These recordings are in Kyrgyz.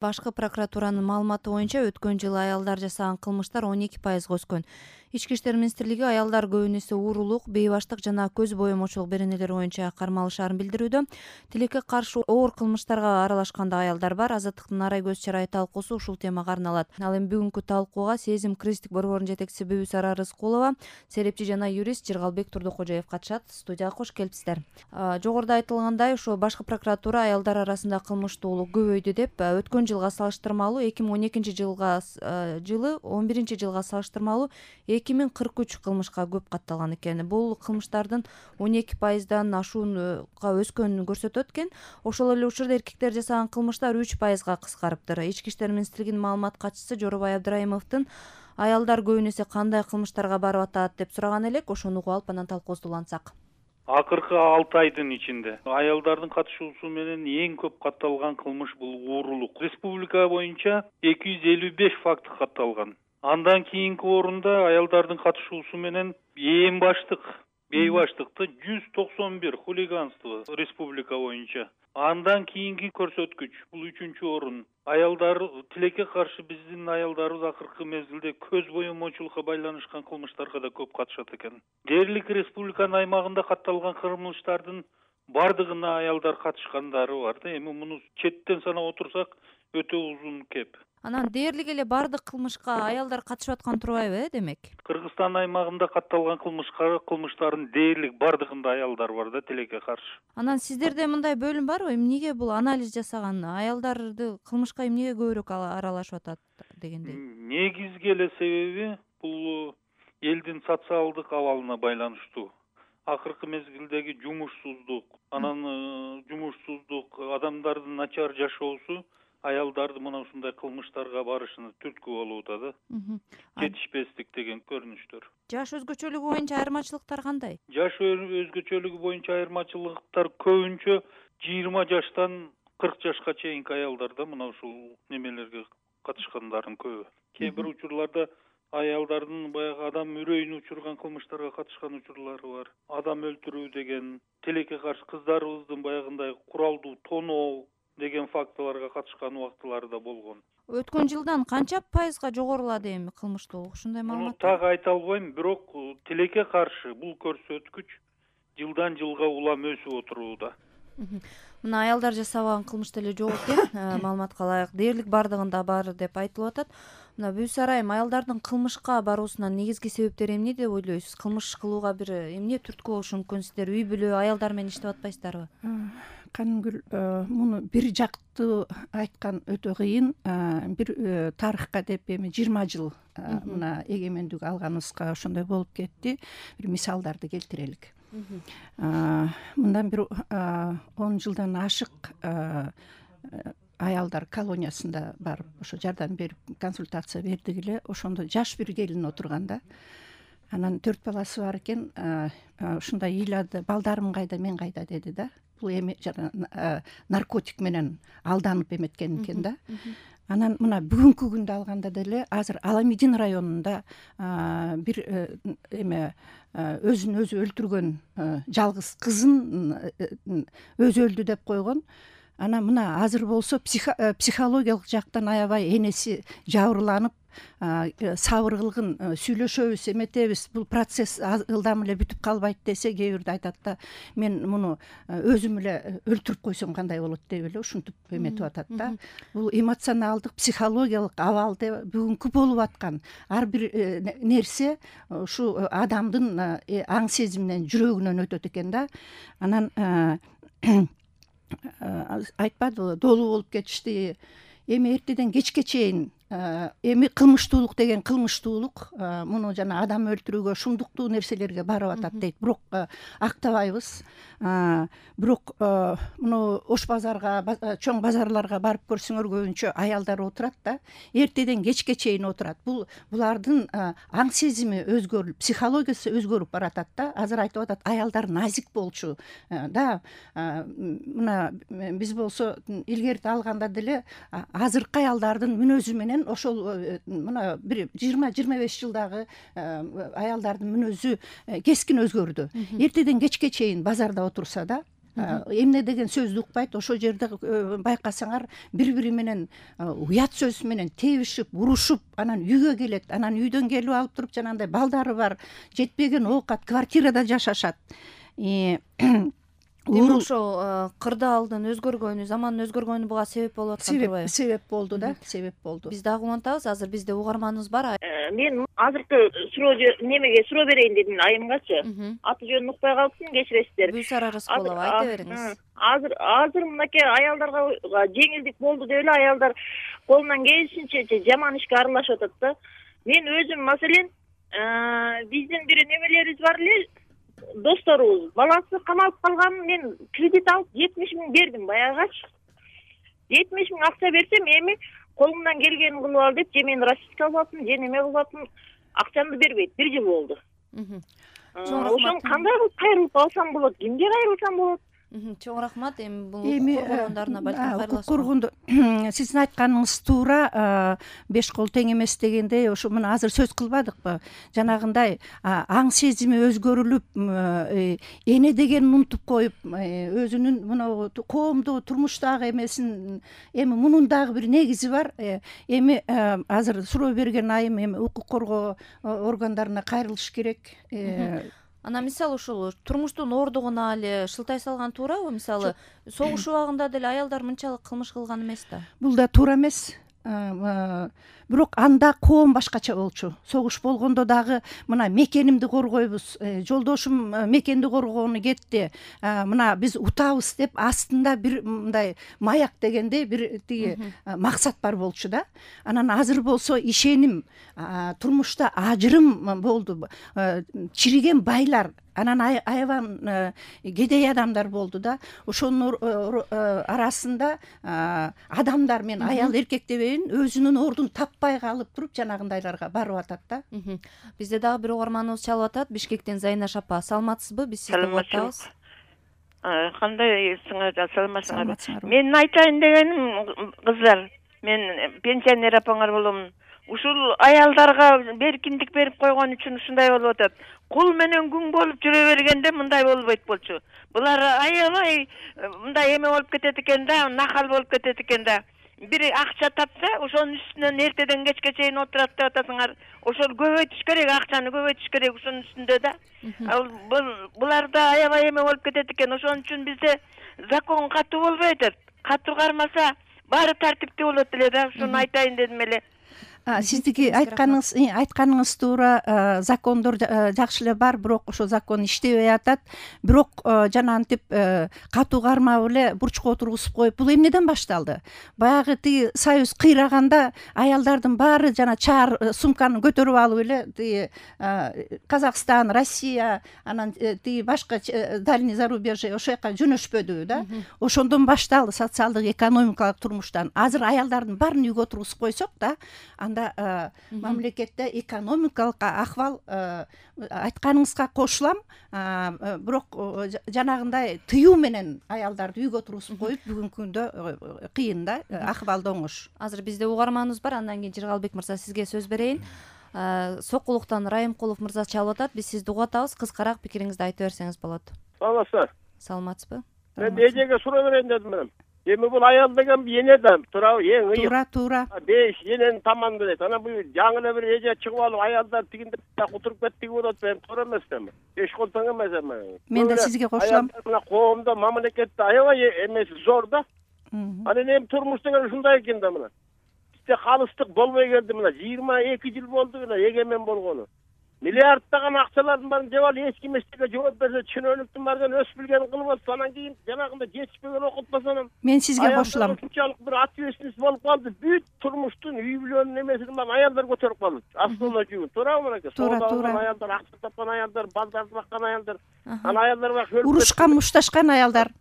Башкы прокуратуранын маалыматы боюнча өткөн жылы аялдар жасаган кылмыштар 12% өскөн. Ички иштер министрлиги аялдар көбүнесе уурулук, бейбаштык жана көз боемочулук беренелери боюнча кармалышаарын билдирүүдө. Тилекке каршы оор кылмыштарга аралашкан да аялдар бар. Азаттыктын арай көз чырайы талкуусу ушул темага арналат. Ал эми бүгүнкү талкууга Сезим кризистик борборунун жетекчиси Бүбүсара Рыскулова, серепчи жана юрист Жыргалбек Турдукожоев катышат. Студияга кош келипсиздер. Жогоруда айтылгандай, ошо башкы прокуратура аялдар арасында кылмыштуулук көбөйдү деп өткөн жылга салыштырмалуу 2012 жылы 11 жылга салыштырмалуу 2043 кылмышка көп катталган экен. Бул кылмыштардын 12%дан ашуунга өскөнүн көрсөтөт экен. Ошол эле учурда эркектер жасаган кылмыштар 3%га кыскарыптыр. Ички иштер министрлигинин маалымат катчысы Жоробай Абдрайымовдун аялдар көбүнесе кандай кылмыштарга барып атат деп сураган элек. Ошону угуп алып анан талкуубузду улантсак. Акыркы 6 айдын ичинде аялдардын катышуусу менен эң көп катталган кылмыш бул уурулук. Республика боюнча 255 факт катталган. Андан кийинки орунда аялдардын катышуусу менен эң баштык бейбаштыкты 191 хулиганство республика боюнча. Андан кийинки көрсөткүч бул 3-чү орун. Аялдар тилекке каршы биздин аялдарыбыз акыркы мезгилде көз боемочулукка байланышкан кылмыштарга да көп катышат экен. Дээрлик республиканын аймагында катталган кылмыштардын бардыгына аялдар катышкандары бар да. Эми муну четтен санап отурсак өтө узун кеп. Анан дээрлик эле бардык кылмышка аялдар катышып аткан турбайбы, демек? Кыргызстан аймагында катталган кылмыштардын дээрлик бардыгында аялдар бар да, тилекке каршы. Анан сиздерде мындай бөлүм барбы? Эмнеге бул анализ жасаган аялдарды кылмышка эмнеге көбүрөөк аралашып атат дегендей? Негизги эле себеби бул элдин социалдык абалына байланыштуу. Акыркы мезгилдеги жумушсуздук, анан адамдардын начар жашоосу аялдарды мына ушундай кылмыштарга барышына түрткү болуп атат да. Жетишпестик деген көрүнүштөр. Жаш өзгөчөлүгү боюнча айырмачылыктар кандай? Жаш өзгөчөлүгү боюнча айырмачылыктар көбүнчө 20 жаштан 40 жашка чейинки аялдарда мына ушул немелерге катышкандардын көбү. Кээ бир учурларда аялдардын баягы адам үрөйүн учурган кылмыштарга катышкан учурлары бар. Адам өлтүрүү деген, тилекке каршы кыздарыбыздын баягындай куралдуу тоноо деген фактыларга катышкан убактылары да болгон. Өткөн жылдан канча пайызга жогорулады эми кылмыштуулук? Ушундай маалымат? Так айта албайм, бирок тилекке каршы бул көрсөткүч жылдан жылга улам өсүп отурууда. Мына аялдар жасабаган кылмыш деле жок экен. Маалыматка ылайык дээрлик бардыгында бар деп айтылып атат. Мына Бүбүсара айым, аялдардын кылмышка баруусунун негизги себептери эмне деп ойлойсуз? Кылмыш кылууга бир эмне түрткү болушу мүмкүн? Сиздер үй бүлө аялдар менен иштеп атпайсыздарбы? Канымгүл, муну бир жактуу айткан өтө кыйын. Бир тарыхка деп эми 20 жыл мына эгемендик алганыбызга ошондой болуп кетти. Бир мисалдарды келтирелик. Мындан бир 10 жылдан ашык аялдар колониясында барып ошо жардам берип консультация бердик эле. Ошондо жаш бир келин отурганда, анан 4 баласы бар экен. Ушундай ыйлады: балдарым кайда, мен кайда деди да. Бул эми наркотик менен алданып эметкен экен да. Анан мына бүгүнкү күндө алганда деле азыр Аламедин районунда бир өзүн өзү өлтүргөн жалгыз кызын өзү өлдү деп койгон. Анан мына азыр болсо психологиялык жактан аябай энеси жабырланып, сабыр кылгын, сүйлөшөбүз, эметебиз, бул процесс ылдам эле бүтүп калбайт десе, кээ бирде айтат да: мен муну өзүм эле өлтүрүп койсом кандай болот деп эле ушинтип эметип атат да. Бул эмоционалдык, психологиялык абалда бүгүнкү болуп аткан ар бир нерсе ушу адамдын аң сезиминен, жүрөгүнөн өтөт экен да. Анан айтпадыбы, долуу болуп кетишти. Эми эртеден кечке чейин эми кылмыштуулук деген кылмыштуулук муну жана адам өлтүрүүгө, шумдуктуу нерселерге барып атат дейт. Бирок актабайбыз. Бирок муну Ош базарга, чоң базарларга барып көрсөңөр көбүнчө аялдар отурат да. Эртеден кечке чейин отурат. Булардын аң сезими өзгөрүп, психологиясы өзгөрүп баратат да. Азыр айтып атат, аялдар назик болчу да. Мына биз болсо илгерти алганда деле азыркы аялдардын мүнөзү менен ошол мына бир 20-25 жылдагы аялдардын мүнөзү кескин өзгөрдү. Эртеден кечке чейин базарда отурса да, эмне деген сөздү укпайт. Ошол жерде байкасаңар бири менен уят сөз менен тебишип, урушуп, анан үйгө келет. Анан үйдөн келип алып туруп жанагындай балдары бар, жетпеген оокат, квартирада жашашат. Демек ошо кырдаалдын өзгөргөнү, замандын өзгөргөнү буга себеп болуп аткан турбайбы? Себеп болду да, себеп болду. Биз дагы улантабыз, азыр бизде угарманыбыз бар. Мен азыркы суроо берейин дедим айымгачы. Аты жөнүн укпай калыптым, кечиресиздер. Гүлсара Рыскулова, айта бериңиз. Азыр мынакей аялдарга жеңилдик болду деп эле аялдар колунан келишинче жаман ишке аралашып атат да. Мен өзүм маселен биздин бир немелерибиз бар эле, досторубуз, баласы камалып калган, мен кредит алып 70 миң бердим баягычы. 70 миң акча берсем, эми колумдан келгенин кылып ал деп, же мен расписка алып атам, же неме кылып атам, акчамды бербейт. 1 жыл болду. Ошону кандай кылып кайрылып алсам болот? Кимге кайрылсам болот? Чоң рахмат. Эми бул коргондоруна балким кайрыласыз. Сиздин айтканыңыз туура, 5 кол тең эмес дегендей, ошо мына азыр сөз кылбадыкпы? Жанагындай аң сезими өзгөрүлүп, эне дегенин унутуп коюп, өзүнүн мына коомдо турмуштагы эмесин, эми мунун дагы бир негизи бар. Эми азыр суроо берген айым эми укук коргоо органдарына кайрылыш керек. Анан мисалы ушул турмуштун ордугуна эле шылтай салган туурабы? Мисалы согуш убагында деле аялдар мынчалык кылмыш кылган эмес да. Бул да туура эмес. Бирок анда коом башкача болчу. Согуш болгондо дагы мына мекенимди коргойбуз, жолдошум мекенди коргоону кетти. Мына биз утабыз деп астында бир мындай маяк дегендей бир тиги максат бар болчу да. Анан азыр болсо ишеним, турмушта ажырым болду. Чириген байлар, анан аябан кедей адамдар болду да. Ошонун арасында адамдар, мен аял эркек дебейин, өзүнүн ордун таппай калып туруп жанагындайларга барып атат да. Бизде дагы бир угарманыбыз чалып атат. Бишкектен Зайнаш апа, саламатсызбы? Биз сизди угатабыз. Кандайсыңар, саламатсыңарбы? Мен айтайын дегеним, кыздар, мен пенсионер апаңар болом. Ушул аялдарга беркиндик берип койгон үчүн ушундай болуп атат. Кул менен күң болуп жүрө бергенде мындай болбойт болчу. Булар аябай мындай эме болуп кетет экен да, нахал болуп кетет экен да. Бири акча тапса, ошонун үстүнөн эртеден кечке чейин отурат деп атасыңар. Ошол көбөйтүш керек, акчаны көбөйтүш керек ушунун үстүндө да. Буларда аябай эме болуп кетет экен. Ошон үчүн бизде закон катуу болбой атат. Катуу кармаса, баары тартиптүү болот эле да. Ушуну айтайын дедим эле. Сиздики айтканыңыз туура, закондор жакшы эле бар, бирок ошо закон иштебей атат. Бирок жанагынтип катуу кармап эле бурчка отургузуп коюп, бул эмнеден башталды? Баягы тиги союз кыйраганда аялдардын баары жана чаар сумканы көтөрүп алып эле тиги Казакстан, Россия, анан тиги башка дальний зарубежье ошол жака жөнөшпөдүбү да. Ошондон башталды социалдык экономикалык турмуштан. Азыр аялдардын баарын үйгө отургузуп койсок да, анда мамлекетте экономикалык акыбал айтканыңызга кошулам, бирок жанагындай тыюу менен аялдарды үйгө отургузуп коюп бүгүнкү күндө кыйын да, акыбал да оңош. Азыр бизде угарманыбыз бар, андан кийин Жыргалбек мырза сизге сөз берейин. Сокулуктан Райымкулов мырза чалып атат. Биз сизди угатабыз, кыскараак пикириңизди айтып берсеңиз болот. Саламатсыздар. Саламатсызбы? Мен эжеге суроо берейин дедим мен. Эми бул аял деген эне да, туурабы? Эң ыйык. Туура. 5 эненин таманында дейт. Анан бул жаңы эле бир эже чыгып алып аялдар тигинде отуруп кетти болот, мен туура эмес да. 5 кол тең эмес эми. Мен да сизге кошулам. Мына коомдо, мамлекетте аябай эмеси зор да. Анан эми турмуш деген ушундай экен да мына. Бизде калыстык болбой келди мына 22 жыл болду мына эгемен болгону. Миллиардтаган акчалардын баарын жеп алып, эч ким эчтеке жооп берсе, чынөлүктүн баарын өз билгенин кылып атса, анан кийин жанагында жетишпеген окутпаса анан мен сизге кошулам. Ушунчалык бир ответственность болуп калды. Бүт турмуштун үй бүлөнүн эмесин баарын аялдар көтөрүп калды. Основной жүгүн. Туурабы мынакей? Туура. Аялдар, акча тапкан аялдар, балдарды баккан аялдар, анан аялдар бак урушкан, мушташкан аялдар.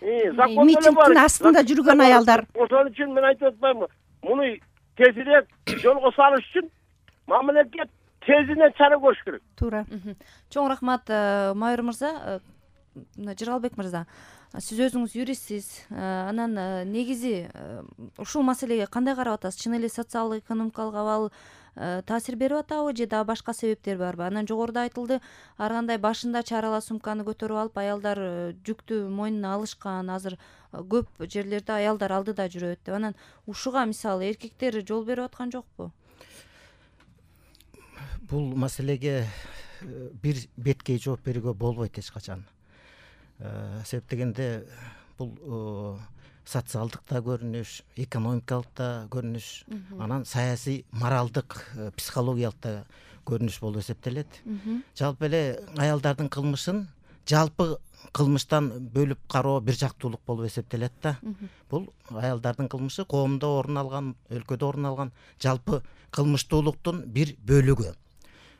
Закон митингдин астында жүргөн аялдар. Ошон үчүн мен айтып атпаймынбы? Муну тезирээк жолго салыш үчүн мамлекет тезинен чара көрүш керек. Туура. Чоң рахмат, майор мырза, Жыргалбек мырза. Сиз өзүңүз юристсиз. Анан негизи ушул маселеге кандай карап атасыз? Чын эле социалдык экономикалык абал таасир берип атабы же дагы башка себептер барбы? Анан жогоруда айтылды, ар кандай башында чарала сумканы көтөрүп алып аялдар жүктү мойнуна алышкан. Азыр көп жерлерде аялдар алдыда жүрөт деп. Анан ушуга мисалы эркектер жол берип аткан жокпу? Бул маселеге бир беткей жооп берүүгө болбойт эч качан. Себеп дегенде бул социалдык да көрүнүш, экономикалык да көрүнүш, анан саясий, моралдык, психологиялык да көрүнүш болуп эсептелет. Жалпы эле аялдардын кылмышын жалпы кылмыштан бөлүп кароо бир жактуулук болуп эсептелет да. Бул аялдардын кылмышы коомдо орун алган, өлкөдө орун алган жалпы кылмыштуулуктун бир бөлүгү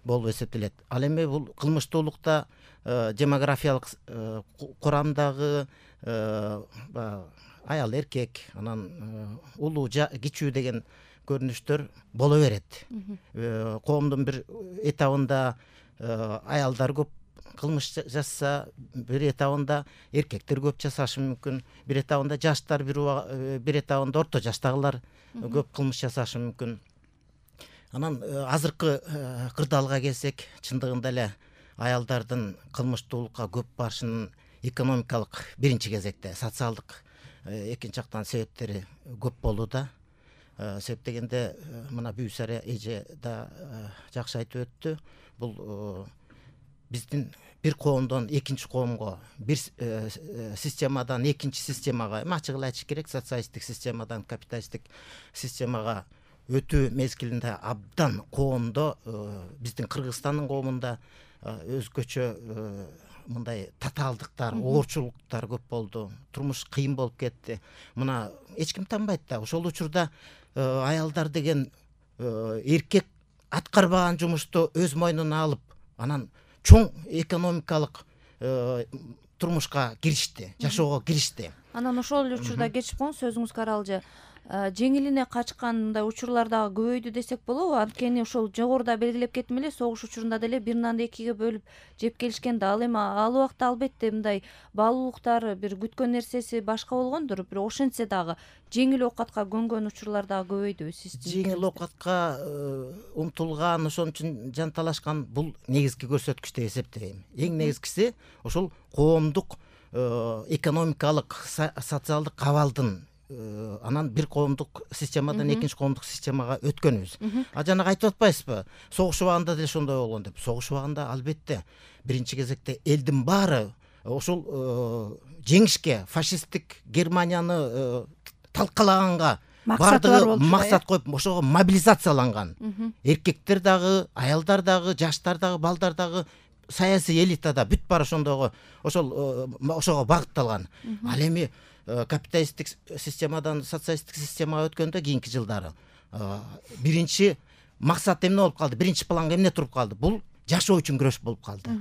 болуп эсептелет. Ал эми бул кылмыштуулукта демографиялык курамдагы аял эркек, анан улуу кичүү деген көрүнүштөр боло берет. Коомдун бир этабында аялдар көп кылмыш жасаса, бир этабында эркектер көп жасашы мүмкүн, бир этабында жаштар, бир этабында орто жаштагылар көп кылмыш жасашы мүмкүн. Анан азыркы кырдаалга келсек, чындыгында эле аялдардын кылмыштуулукка көп барышынын экономикалык биринчи кезекте, социалдык экинчи жактан себептери көп болууда. Себеп дегенде мына Бүйсара эже да жакшы айтып өттү. Бул биздин бир коомдон экинчи коомго, бир системадан экинчи системага, ачык эле айтыш керек, социалисттик системадан капиталисттик системага өтүү мезгилинде абдан коомдо, биздин Кыргызстандын коомунда өзгөчө мындай татаалдыктар, оорчулуктар көп болду. Турмуш кыйын болуп кетти. Мына эч ким танбайт да. Ошол учурда аялдар деген эркек аткарбаган жумушту өз мойнуна алып, анан чоң экономикалык турмушка киришти, жашоого киришти. Анан ошол эле учурда кечип коюңуз, сөзүңүзгө аралжа. Жеңилине качкан мындай учурлар дагы көбөйдү десек болобу? Анткени ошол жогоруда белгилеп кеттим эле, согуш учурунда деле бир нанды экиге бөлүп жеп келишкен да. Ал эми ал убакта албетте мындай баалуулуктар, бир күткөн нерсеси башка болгондур, бирок ошентсе дагы жеңил оокатка көнгөн учурлар дагы көбөйдүбү сиздин? Жеңил оокатка умтулган, ошон үчүн жанталашкан бул негизги көрсөткүч деп эсептейм. Эң негизгиси ошол коомдук экономикалык, социалдык абалдын анан бир коомдук системадан экинчи коомдук системага өткөнүбүз. Жанагы айтып атпайсызбы? Согуш убагында деле ошондой болгон деп. Согуш убагында албетте биринчи кезекте элдин баары ошол жеңишке, фашисттик Германияны талкалаганга бардыгы максат коюп, ошого мобилизацияланган. Эркектер дагы, аялдар дагы, жаштар дагы, балдар дагы, саясий элита да бүт баары ошого багытталган. Ал эми капиталисттик системадан социалисттик системага өткөндө кийинки жылдары биринчи максат эмне болуп калды? Биринчи планга эмне туруп калды? Бул жашоо үчүн күрөш болуп калды.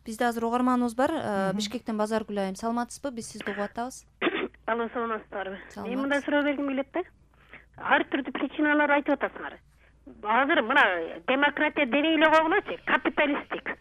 Бизде азыр угарманыбыз бар. Бишкектен Базаргүл айым, саламатсызбы? Биз сизди угуп атабыз. Алло, саламатсыздарбы? Мен мындай суроо бергим келет да. Ар түрдүү причиналар айтып атасыңар. Азыр мына демократия дебей эле койгулачы, капиталисттик.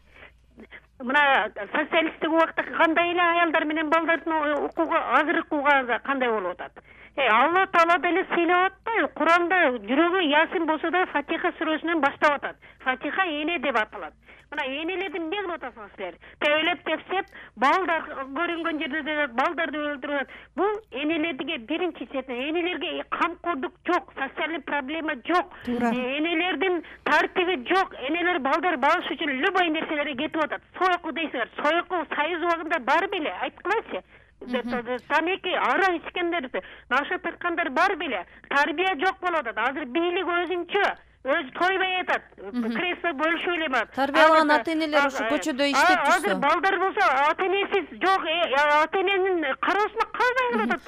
Мына социалисттик убакта кандай эле аялдар менен балдардын укугу азыркы убакта кандай болуп атат? Алла Таала деле сыйлап атпайбы? Куранда жүрөгү Ясин болсо да Фатиха сүрөсүнөн баштап атат. Фатиха эне деп аталат. Мына энелерди эмне кылып атасыңар силер? Тейлеп тепсеп, балдар көрүнгөн жерде балдарды өлтүрүп атат. Бул энелерге биринчи четинен энелерге камкордук жок, социалдык проблема жок. Энелердин тартиби жок. Энелер балдар багыш үчүн любой нерселерге кетип атат. Сойку дейсиңер. Сойку союз убагында бар беле? Айткылачы. Тамеки ара ичкендер, наша тарткандар бар беле? Тарбия жок болуп атат. Азыр бийлик өзүнчө өзү тойбой атат. Кресло бөлүшүп эле бар. Тарбиялаган ата-энелер ушу көчөдө иштеп жүрсө. Азыр балдар болсо ата-энесиз жок, ата-эненин кароосуна калбай калып атат.